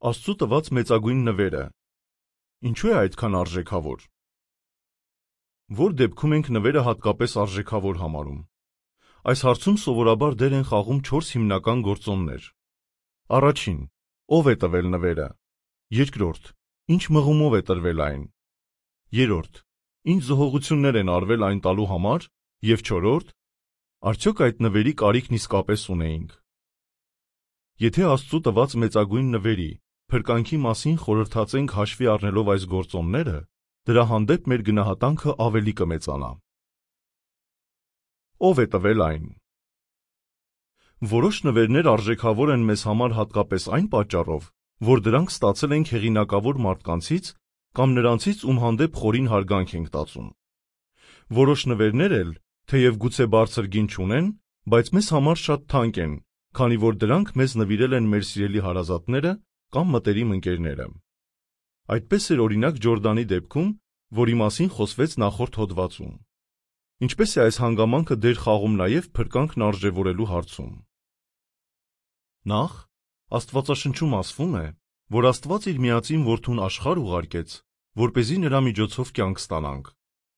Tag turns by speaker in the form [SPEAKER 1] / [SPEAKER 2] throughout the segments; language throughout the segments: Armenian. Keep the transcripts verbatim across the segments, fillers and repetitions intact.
[SPEAKER 1] Աստծու տված մեծագույն նվերը ինչու է այդքան արժեքավոր։ Որ դեպքում ենք նվերը հատկապես արժեքավոր համարում։ Այս հարցում սովորաբար դեր են խաղում չորս հիմնական գործոններ։ Առաջին, ով է տվել նվերը։ Երկրորդ, ինչ մղումով է տրվել այն։ Երրորդ, ինչ զոհողություններ են արվել այն տալու համար։ Եվ չորրորդ, արդյոք այդ նվերի կարիքն իսկապես ունեինք։ Եթե Աստծու տված մեծագույն նվերի փրկանքի մասին խորհրդածենք հաշվի առնելով այս գործոնները, դրա հանդեպ մեր գնահատանքը ավելի կմեծանա։ Ով է տվել այն։ Որոշ նվերներ արժեքավոր են մեզ համար հատկապես այն պատճառով, որ դրանք ստացել ենք հեղինակավոր մարդկանցից կամ նրանցից, ում հանդեպ խորին հարգանք ենք տածում։ Որոշ նվերներ էլ, թեև գուցե բարձր գին չունեն, բայց մեզ համար շատ թանկ են, քանի որ դրանք մեզ նվիրել են մեր սիրելի հարազատները կամ մտերիմ ընկերները։ Այդպես էր օրինակ Ջորդանի դեպքում, որի մասին խոսվեց նախորդ հոդվածում։ Ինչպես է այս հանգամանքը դեր խաղում նաև փրկանքն արժևորելու հարցում։ Նախ, Աստվածաշնչում ասվում է, որ Աստված իր միածին որդուն աշխարհ ուղարկեց, որպեսզի նրա միջոցով կյանք ստանանք։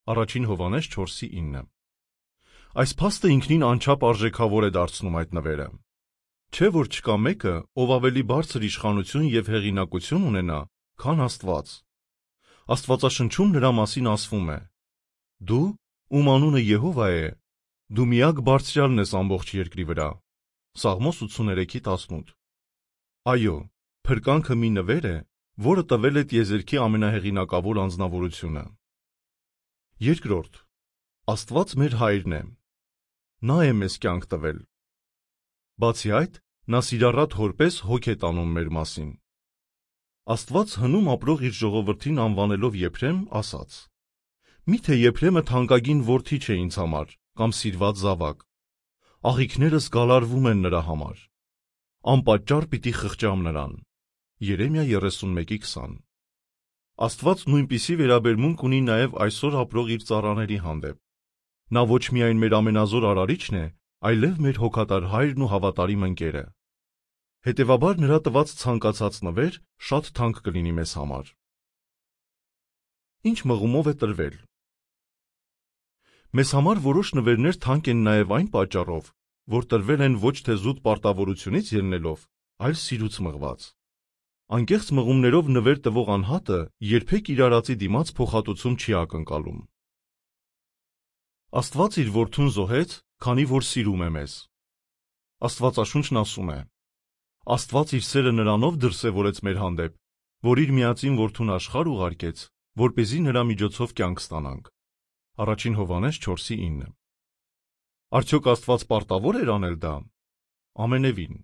[SPEAKER 1] Առաջին Հովհաննես չորսի ինը։ Այս փաստը ինքնին անչափ արժեքավոր է դարձնում այդ նվերը։ Չէ՞ որ չկա մեկը, ով ավելի բարձր իշխանություն և հեղինակություն ունենա, քան Աստված։ Աստվածաշնչում նրա մասին ասվում է. «Դու, ում անունը Եհովա է, դու միակ բարձրյալն ես ամբողջ երկրի վրա»։ Սաղմոս ութսուներեքի տասնութ։ Այո, փրկանքը մի նվեր է, որը տվել է տիեզերքի ամենահեղինակավոր անձնավորությունը։ Երկրորդ, Աստված մեր Հայրն է։ Նա է մեզ կյանք տվել։ Բացի այդ, նա սիրառատ հոր պես հոգ է տանում մեր մասին։ Աստված հնում ապրող իր ժողովրդին անվանելով Եփրեմ, ասաց. «Միթե Եփրեմը թանկագին որդի չէ ինձ համար, կամ սիրված զավակ։ Աղիքներս գալարվում են նրա համար։ Անպատճառ պիտի խղճամ նրան»։ Երեմիա երեսունմեկի քսան։ Աստված նույնպիսի վերաբերմունք ունի նաև այսօր ապրող իր ծառաների հանդեպ։ Նա ոչ միայն մեր ամենազոր արարիչն է, այլև մեր հոգատար Հայրն ու հավատարիմ ընկերը։ Հետևաբար նրա տված ցանկացած նվեր շատ թանկ կլինի մեզ համար։ Ինչ մղումով է տրվել։ Մեզ համար որոշ նվերներ թանկ են նաև այն պատճառով, որ տրվել են ոչ թե զուտ պարտավորությունից ելնելով, այլ սիրուց մղված։ Անկեղծ մղումներով նվեր տվող անհատը երբեք իր արածի դիմաց փոխհատուցում չի ակնկալում։ Աստված իր որդուն զոհեց, քանի որ սիրում է մեզ։ Աստվածաշունչն ասում է. «Աստված իր սերը նրանով դրսևորեց մեր հանդեպ, որ իր միածին որդուն աշխարհ ուղարկեց, որպեսզի նրա միջոցով կյանք ստանանք»։ Առաջին Հովհաննես չորսի ինը։ Արդյոք Աստված պարտավոր էր անել դա։ Ամենևին։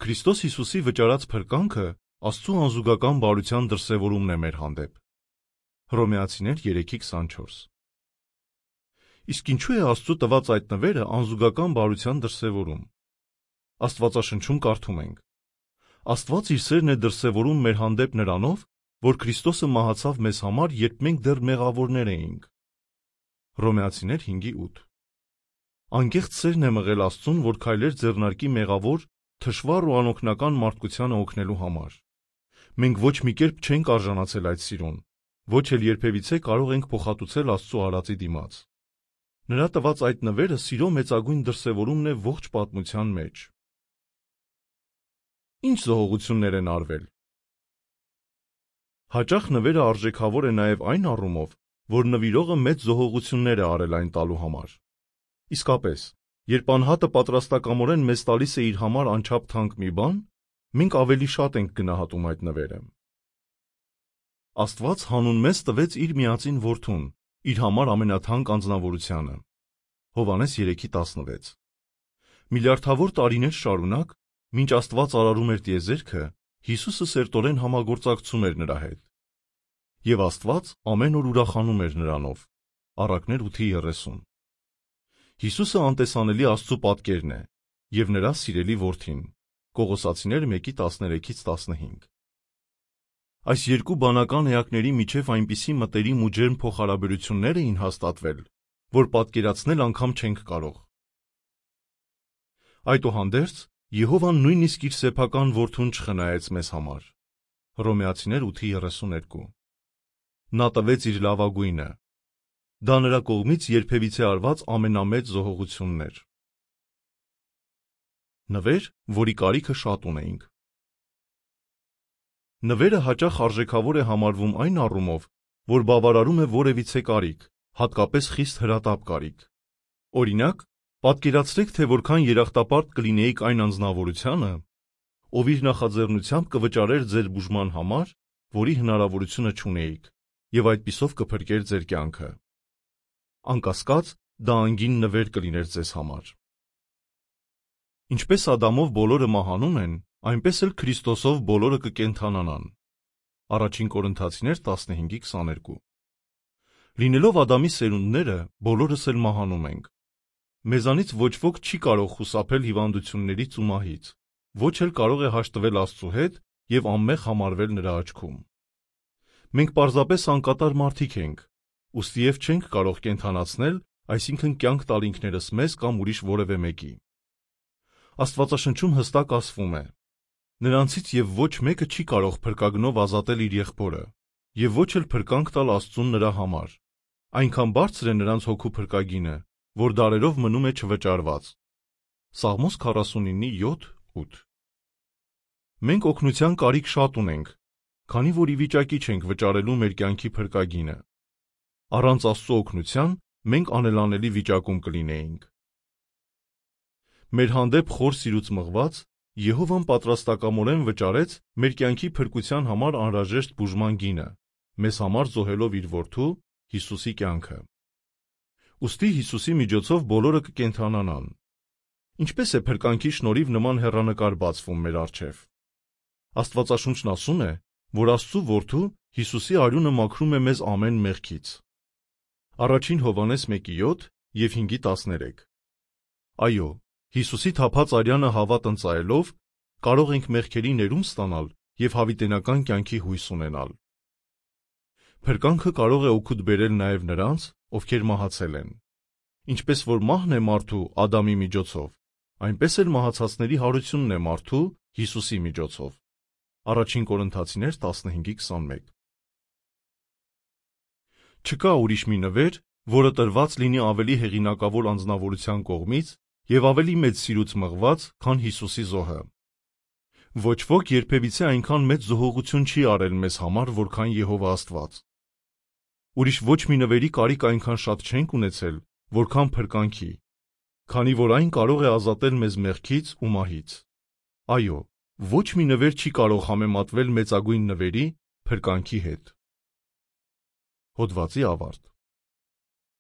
[SPEAKER 1] Քրիստոս Հիսուսի վճարած փրկանքը Աստծու անզուգական բարության դրսևորումն է մեր հանդեպ։ Հռոմեացիներ երեքի քսանչորս։ Իսկ ինչու է Աստծու տված այդ նվերը անզուգական բարության դրսևորում։ Աստվածաշնչում կարդում ենք. Աստված իր սերն է դրսևորում մեր հանդեպ նրանով, որ Քրիստոսը մահացավ մեզ համար, երբ մենք դեռ մեղավորներ էինք։ Հռոմեացիներ հինգի ութ։ Անկեղծ սերն է մղել Աստծուն, որ քայլեր ձեռնարկի մեղավոր, թշվառ ու անօգնական մարդկությանը օգնելու համար։ Մենք ոչ մի կերպ չենք արժանացել այդ սիրուն, ոչ էլ երբևիցե կարող ենք փոխհատուցել Աստծու արածի դիմաց։ Նրա տված այդ նվերը սիրո մեծագույն դրսևորումն է ողջ պատմության մեջ։ Ինչ զոհողություններ են արվել։ Հաճախ նվերը արժեքավոր է նաև այն առումով, որ նվիրողը մեծ զոհողություններ է արել այն տալու համար։ Իսկապես, երբ անհատը պատրաստակամորեն մեզ տալիս է իր համար անչափ թանկ մի բան, մենք ավելի շատ ենք գնահատում այդ նվերը։ Աստված հանուն մեզ տվեց իր միածին որդուն, իր համար ամենաթանկ անձնավորությանը։ Հովհաննես երեքի տասնվեց։ Միլիարդավոր տարիներ շարունակ, մինչ Աստված արարում էր տիեզերքը, Հիսուսը սերտորեն համագործակցում էր նրա հետ։ Եվ Աստված ամեն օր ուրախանում էր նրանով։ Առակներ ութի երեսուն։ Հիսուսը անտեսանելի Աստծու պատկերն է և նրա սիրելի որդին։ Կողոսացիներ մեկի տասներեքից տասնհինգ։ Այս երկու բանական էակների միջև այնպիսի մտերիմ ու ջերմ փոխհարաբերություններ էին հաստատվել, որ պատկերացնել անգամ չենք կարող։ Այդուհանդերձ, Եհովան նույնիսկ իր սեփական որդուն չխնայեց մեզ համար։ Հռոմեացիներ ութ երեսուներկու։ Նա տվեց իր լավագույնը։ Դա նրա կողմից երբևիցե արված ամենամեծ զոհողությունն էր։ Նվեր, որի կարիքը շատ ունեինք։ Նվերը հաճախ արժեքավոր է համարվում այն առումով, որ բավարարում է որևիցե կարիք, հատկապես խիստ հրատապ կարիք։ Օրինակ, պատկերացրեք, թե որքան երախտապարտ կլինեիք այն անձնավորությանը, ով իր նախաձեռնությամբ կվճարեր ձեր բուժման համար, որի հնարավորությունը չունեիք, եւ այդպիսով կփրկեր ձեր կյանքը։ Անկասկած, դա անգին նվեր կլիներ ձեզ համար։ Ինչպես Ադամով բոլորը մահանում են, այնպես էլ Քրիստոսով բոլորը կկենդանանան։ Առաջին Կորինթացիներ տասնհինգ քսաներկու։ Լինելով Ադամի սերունդները, բոլորս էլ մահանում ենք։ Մեզանից ոչ ոք չի կարող խուսափել հիվանդություններից ու մահից, ոչ էլ կարող է հաշտվել Աստծու հետ եւ անմեղ համարվել նրա աչքում։ Մենք պարզապես անկատար մարդիկ ենք, ուստի եւ չենք կարող կենդանացնել, այսինքն կյանք տալ ինքներս մեզ կամ ուրիշ որևէ մեկի։ Աստվածաշնչում հստակ ասվում է. նրանցից եւ ոչ մեկը չի կարող փրկագնով ազատել իր եղբորը, եւ ոչ էլ փրկանք տալ Աստծուն նրա համար։ Այնքան բարձր է նրանց հոգու փրկագինը, որ դարերով մնում է չվճարված։ Սաղմոս քառասունինը յոթ ութ։ Մենք օգնության կարիք շատ ունենք, քանի որ ի վիճակի չենք վճարելու մեր կյանքի փրկագինը։ Առանց Աստծո օգնության մենք անելանելի վիճակում կլինեինք։ Մեր հանդեպ խոր սիրուց մղված, Եհովան պատրաստակամորեն վճարեց մեր կյանքի փրկության համար անհրաժեշտ բուժման գինը, մեզ համար զոհելով իր որդու Հիսուսի կյանքը։ Ուստի Հիսուսի միջոցով բոլորը կկենդանանան։ Ինչպես է փրկանքի շնորհիվ նման հեռանկար բացվում մեր առջև։ Աստվածաշունչն ասում է, որ Աստծու որդու Հիսուսի արյունը մաքրում է մեզ ամեն մեղքից։ Առաջին Հովհաննես մեկ յոթ եւ հինգ տասներեք։ Այո, Հիսուսի թափած արյանը հավատ ընծայելով կարող ենք մեղքերի ներում ստանալ եւ հավիտենական կյանքի հույս ունենալ։ Փրկանքը կարող է օգուտ բերել նաեւ նրանց, ովքեր մահացել են։ Ինչպես որ մահն է մարդու Ադամի միջոցով, այնպես էլ մահացածների հարությունն է մարդու Հիսուսի միջոցով։ Առաջին Կորինթացիներ տասնհինգ քսանմեկ։ Չկա ուրիշ մի նվեր, որը տրված լինի ավելի հեղինակավոր անձնավորության կողմից եւ ավելի մեծ սիրուց մղված, քան Հիսուսի զոհը։ Ոչ ոք երբևիցե այնքան մեծ զոհողություն չի արել մեզ համար, որքան Եհովա Աստված։ Ուրիշ ոչ մի նվերի կարիք այնքան շատ չենք ունեցել, որքան փրկանքի, քանի որ այն կարող է ազատել մեզ մեղքից ու մահից։ Այո, ոչ մի նվեր չի կարող համեմատվել մեծագույն նվերի՝ փրկանքի հետ։ Հոդվացի ավարտ։